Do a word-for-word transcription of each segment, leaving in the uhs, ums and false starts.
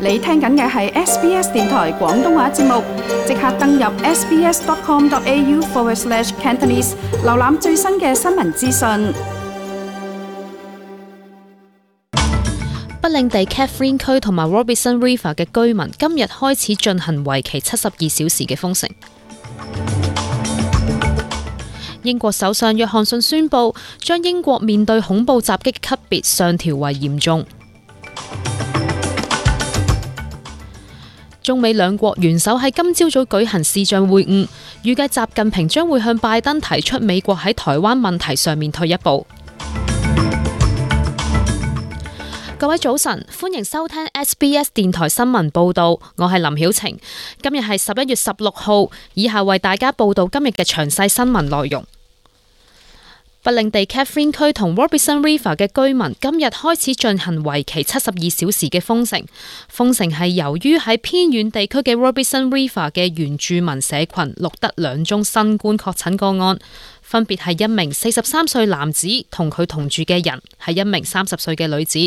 你聽緊嘅係 S B S 電台廣東話節目，即刻登入 sbs.com.au forward slash Cantonese， 瀏覽最新嘅新聞資訊。北領地 Catherine 區同埋 Robertson River 嘅居民今日開始進行為期七十二小時嘅封城。英國首相約翰遜宣布，將英國面對恐怖襲擊級別上調為嚴重。中美兩國元首喺今朝早舉行視像會晤，預計習近平將會向拜登提出美國喺台灣問題上面退一步。各位早晨，歡迎收聽 S B S 電台新聞報道，我係林曉晴。今日係十一月十六號，以下為大家報道今日嘅詳細新聞內容。北領地 Catherine 區同 Robertson River 嘅居民今日開始進行為期七十二小時嘅封城。封城係由於喺偏遠地區嘅 Robertson River 嘅原住民社群錄得兩宗新冠確診個案，分別係一名四十三歲男子同佢同住嘅人係一名三十歲嘅女子。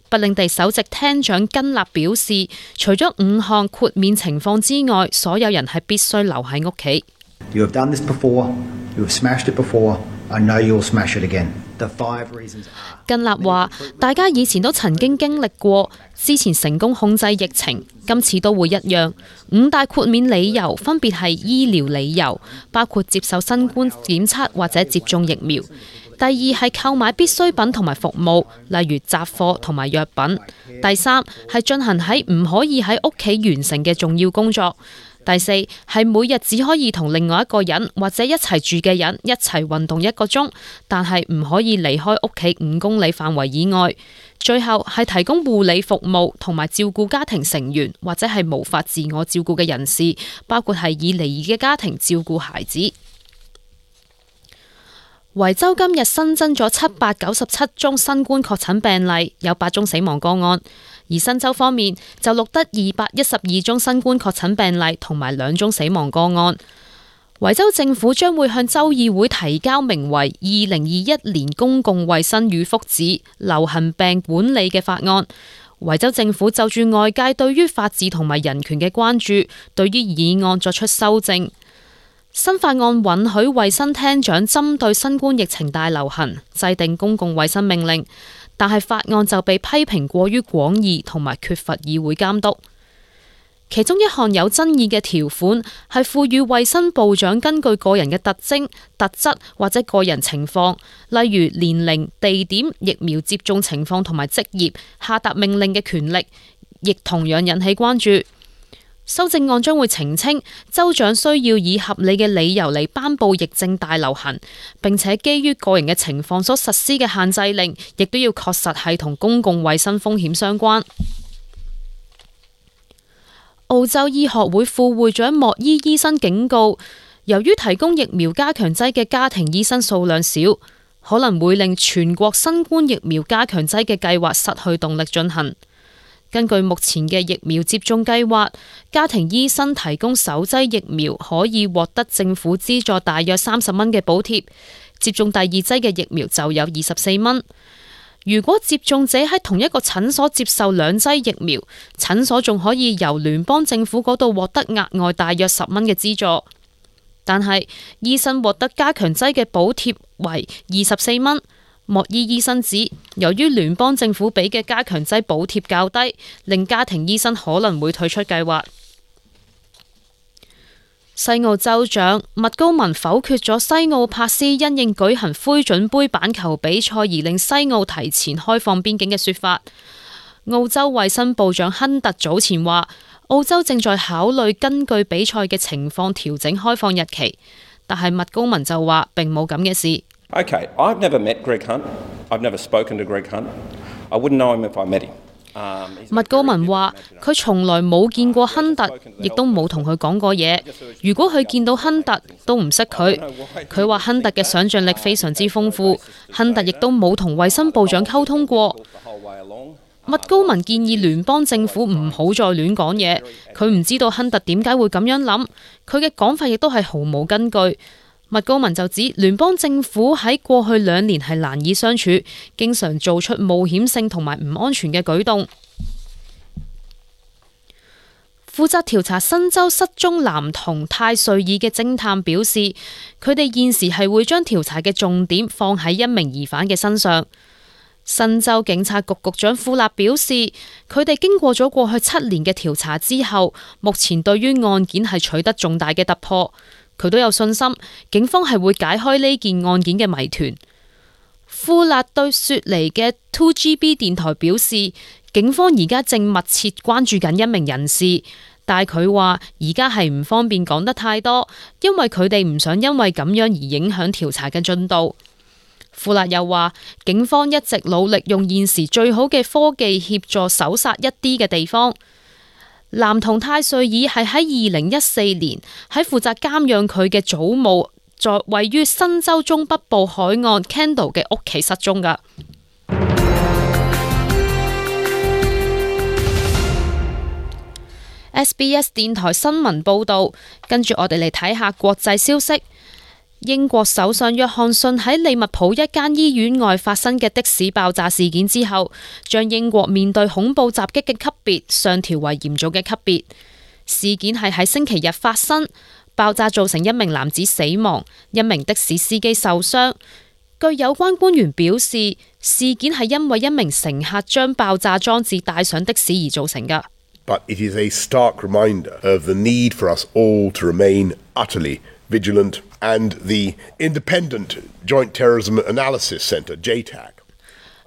北領地首席廳長根納表示，除咗五項豁免情況之外，所有人係必須留喺屋企。You have done this before. You have smashed it before. I know you'll smash it again. The five reasons are... 根納話：大家以前都曾經經歷過，之前成功控制疫情，今次都會一樣。五大豁免理由分別係醫療理由，包括接受新冠檢測或者接種疫苗。第二係購買必需品同埋服務，例如雜貨同埋藥品。第三係進行喺唔可以喺屋企完成嘅重要工作。第四係每日只可以同另外一個人或者一齊住嘅人一齊運動一個鐘，但係唔可以離開屋企五公里範圍以外。最後係提供護理服務同埋照顧家庭成員或者係無法自我照顧嘅人士，包括係以離異嘅家庭照顧孩子。維州今日新增咗七百九十七宗新冠確診病例，有八宗死亡個案。而新州方面就錄得二百一十二宗新冠確診病例同埋兩宗死亡個案。維州政府將會向州議會提交名為《二零二一年公共衛生與福祉流行病管理》嘅法案。維州政府就住外界對於法治同埋人權嘅關注，對於議案作出修正。新法案允許衛生廳長針對新冠疫情大流行制定公共衛生命令，但係法案就被批評過於廣義同埋缺乏議會監督。其中一項有爭議嘅條款係賦予衛生部長根據個人嘅特徵、特質或者個人情況，例如年齡、地點、疫苗接種情況同埋職業，下達命令嘅權力，亦同樣引起關注。修正案將會澄清，州長需要以合理嘅理由嚟頒布疫症大流行，並且基於個人嘅情況所實施嘅限制令，亦都要確實係同公共衛生風險相關。澳洲醫學會副會長莫伊醫生警告，由於提供疫苗加強劑嘅家庭醫生數量少，可能會令全國新冠疫苗加強劑嘅計劃失去動力進行。根據目前嘅疫苗接種計劃，家庭醫生提供首劑疫苗可以獲得政府資助大約三十蚊嘅補貼，接種第二劑嘅疫苗就有二十四蚊。如果接種者喺同一個診所接受兩劑疫苗，診所仲可以由聯邦政府嗰度獲得額外大約十蚊嘅資助。但係醫生獲得加強劑嘅補貼為二十四蚊。莫伊醫生指，由於聯邦政府俾嘅加強劑補貼較低，令家庭醫生可能會退出計劃。西澳州長麥高文否決咗西澳帕斯因應舉行灰準杯板球比賽而令西澳提前開放邊境嘅說法。澳洲衛生部長亨特早前話，澳洲正在考慮根據比賽嘅情況調整開放日期，但係麥高文就話並冇咁嘅事。Okay, I've never met Greg Hunt. I've never spoken to Greg Hunt. I wouldn't know him if I met him. 麥高文話：佢從來冇見過亨特，亦都冇同佢講過嘢。如果佢見到亨特，都唔識佢。佢話亨特嘅想像力非常之豐富，亨特亦都冇同衛生部長溝通過。麥高文建議聯邦政府唔好再亂講嘢。佢唔知道亨特點解會咁樣諗，佢嘅講法亦都係毫無根據。麥高文就指聯邦政府喺過去兩年係難以相處，經常做出冒險性同埋唔安全嘅舉動。負責調查新州失蹤男童泰瑞爾嘅偵探表示，佢哋現時係會將調查嘅重點放喺一名疑犯嘅身上。新州警察局局長庫納表示，佢哋經過咗過去七年嘅調查之後，目前對於案件係取得重大嘅突破。佢都有信心，警方係會解開呢件案件嘅謎團。庫納對雪梨嘅 two G B 電台表示，警方而家正密切關注緊一名人士，但係佢話而家係唔方便講得太多，因為佢哋唔想因為咁樣而影響調查嘅進度。庫納又話，警方一直努力用現時最好嘅科技協助搜殺一啲嘅地方。男童泰瑞爾係喺二零一四年喺負責監養佢嘅祖母在位於新州中北部海岸 Kendall 嘅屋企失蹤㗎。S B S 電台新聞報道，跟住我哋嚟睇下國際消息。英國首相約翰遜喺利物浦一間醫院外發生嘅的，的士爆炸事件之後，將英國面對恐怖襲擊嘅級別上調為嚴重嘅級別。事件係喺星期日發生，爆炸造成一名男子死亡，一名的士司機受傷。據有關官員表示，事件係因為一名乘客將爆炸裝置帶上的士而造成嘅。But it is a stark reminder of the need for us all to remain utterly vigilant, and the Independent Joint Terrorism Analysis Centre J TAC。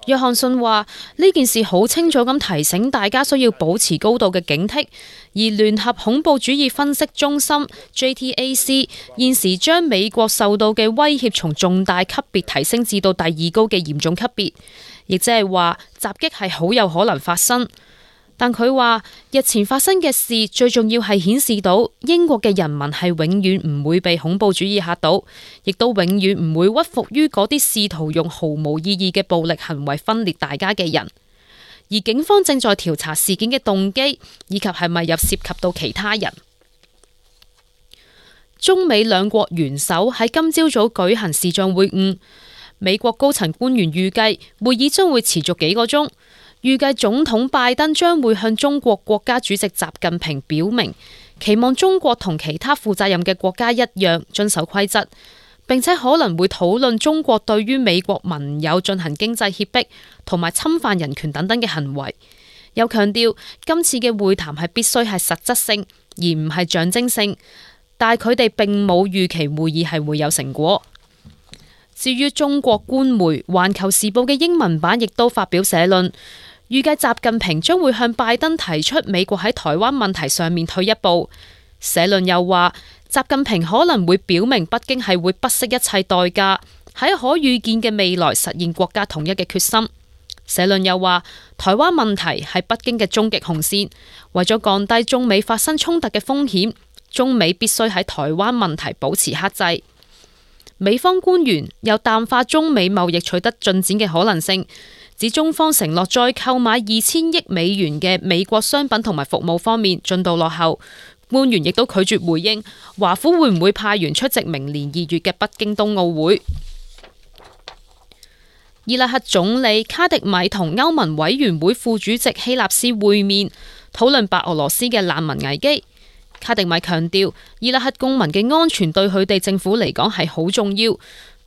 約翰遜話呢件事好清楚咁提醒大家需要保持高度嘅警惕，而聯合恐怖主義分析中心 J T A C 現時將美國受到嘅威脅從重大級別提升至到第二高嘅嚴重級別，亦即係話襲擊係好有可能發生。但佢話日前發生嘅事最重要係顯示到英國嘅人民係永遠唔會被恐怖主義嚇到，亦都永遠唔會屈服於嗰啲試圖用毫無意義嘅暴力行為分裂大家嘅人。而警方正在調查事件嘅動機，以及係咪有涉及到其他人。中美兩國元首喺今朝早舉行視像會晤，美國高層官員預計會議將會持續幾個鐘。預計總統拜登將會向中國國家主席習近平表明，期望中國同其他負責任嘅國家一樣遵守規則，並且可能會討論中國對於美國盟友進行經濟脅迫同埋侵犯人權等等嘅行為。又強調今次嘅會談係必須係實質性，而唔係象徵性。但係佢哋並冇預期會議係會有成果。至於中國官媒《環球時報》嘅英文版亦都發表社論，預計習近平將會向拜登提出美國喺台灣問題上面退一步。社論又話，習近平可能會表明北京係會不惜一切代價喺可預見嘅未來實現國家統一嘅決心。社論又話，台灣問題係北京嘅終極紅線，為咗降低中美發生衝突嘅風險，中美必須喺台灣問題保持克制。美方官員又淡化中美貿易取得進展嘅可能性，指中方承諾再購買二千億美元嘅美國商品同埋服務方面進度落後。官員亦都拒絕回應華府會唔會派員出席明年二月嘅北京冬奧會。伊拉克總理卡迪米同歐盟委員會副主席希納斯會面，討論白俄羅斯嘅難民危機。卡迪米強調，伊拉克公民嘅安全對佢哋政府嚟講係好重要。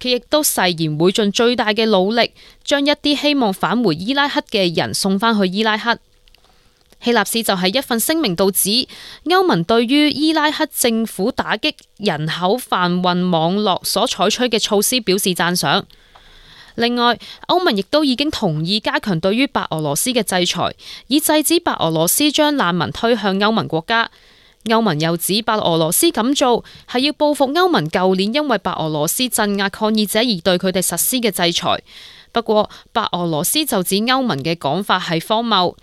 佢亦都誓言會盡最大嘅努力，將一啲希望返回伊拉克嘅人送返去伊拉克。希納斯就喺一份聲明度指，歐盟對於伊拉克政府打擊人口販運網絡所採取嘅措施表示讚賞。另外，歐盟亦都已經同意加強對於白俄羅斯嘅制裁，以制止白俄羅斯將難民推向歐盟國家。歐盟又指白俄羅斯咁做係要報復歐盟舊年因為白俄羅斯鎮壓抗議者而對佢哋實施嘅制裁。不過，白俄羅斯就指歐盟嘅講法係荒謬。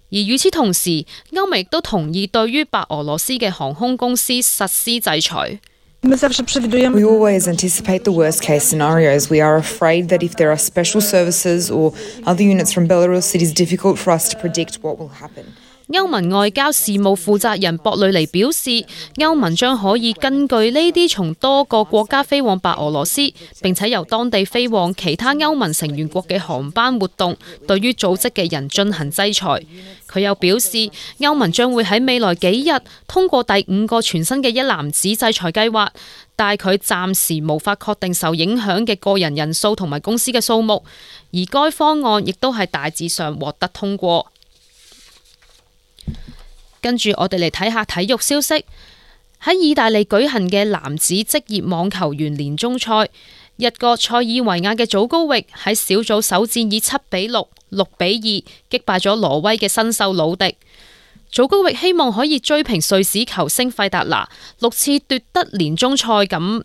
而與此同時，歐盟亦都同意對於白俄羅斯嘅航空公司實施制裁。We always anticipate the worst case scenarios. We are afraid that if there are special services or other units from Belarus, it is difficult for us to predict what will happen. 歐盟外交事務負責人博雷尼表示，歐盟將可以根據呢啲從多個國家飛往白俄羅斯，並且由當地飛往其他歐盟成員國嘅航班活動，對於組織嘅人進行制裁。佢又表示，歐盟將會喺未來幾日通過第五個全新嘅一籃子制裁計劃，但佢暫時無法確定受影響嘅個人人數同埋公司嘅數目，而該方案亦都係大致上獲得通過。跟住我哋嚟睇下體育消息。喺意大利舉行嘅男子職業網球員年終賽，日國塞爾維亞嘅祖高域喺小組首戰以七比六、六比二擊敗咗挪威嘅新秀魯迪。祖高域希望可以追平瑞士球星費達拿六次奪得年終賽錦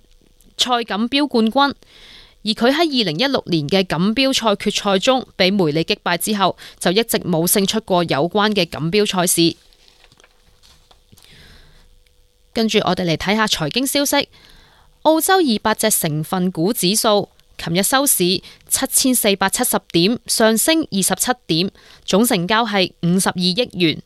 賽錦標冠軍，而佢喺二零一六年嘅錦標賽決賽中被梅利擊敗之後，就一直冇勝出過有關嘅錦標賽事。跟住我哋嚟睇下財經消息。澳洲二百隻成分股指數琴日收市七千四百七十點，上升二十七點，總成交係五十二億元。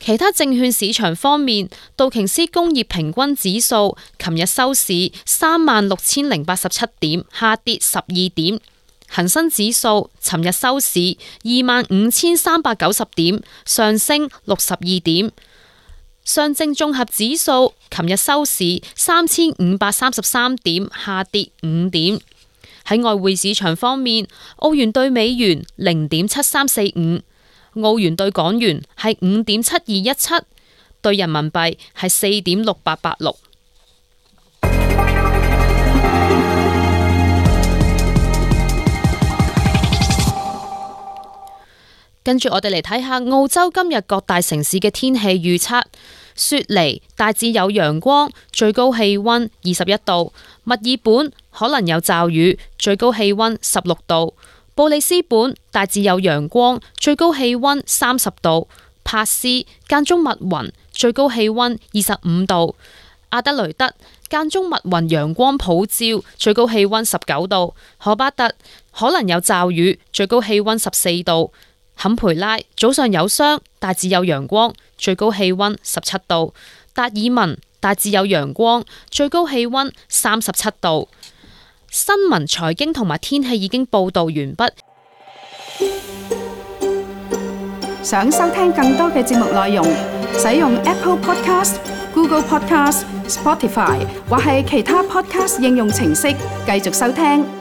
其他證券市場方面，道瓊斯工業平均指數琴日收市三萬六千零八十七點，下跌十二點。恒生指數尋日收市二萬五千三百九十點，上升六十二點。上證綜合指數琴日收市三千五百三十三點，下跌五點。喺外匯市場方面，澳元兌美元零點七三四五，澳元兌港元係五點七二一七，兌人民幣係四點六八八六。跟住我哋嚟睇下澳洲今日各大城市嘅天氣預測。雪梨大致有陽光，最高氣溫二十一度；墨爾本可能有驟雨，最高氣溫十六度；布里斯本大致有陽光，最高氣溫三十度；珀斯間中密雲，最高氣溫二十五度；阿德雷德間中密雲，陽光普照，最高氣溫十九度；荷巴特可能有驟雨，最高氣溫十四度；坎培拉早上有霜，大致有陽光，最高氣溫十七度；達爾文大致有陽光，最高氣溫三十七度。新聞、財經同埋天氣已經報道完畢。想收聽更多嘅節目內容，使用 Apple Podcast、Google Podcast、Spotify 或係其他 Podcast 應用程式繼續收聽。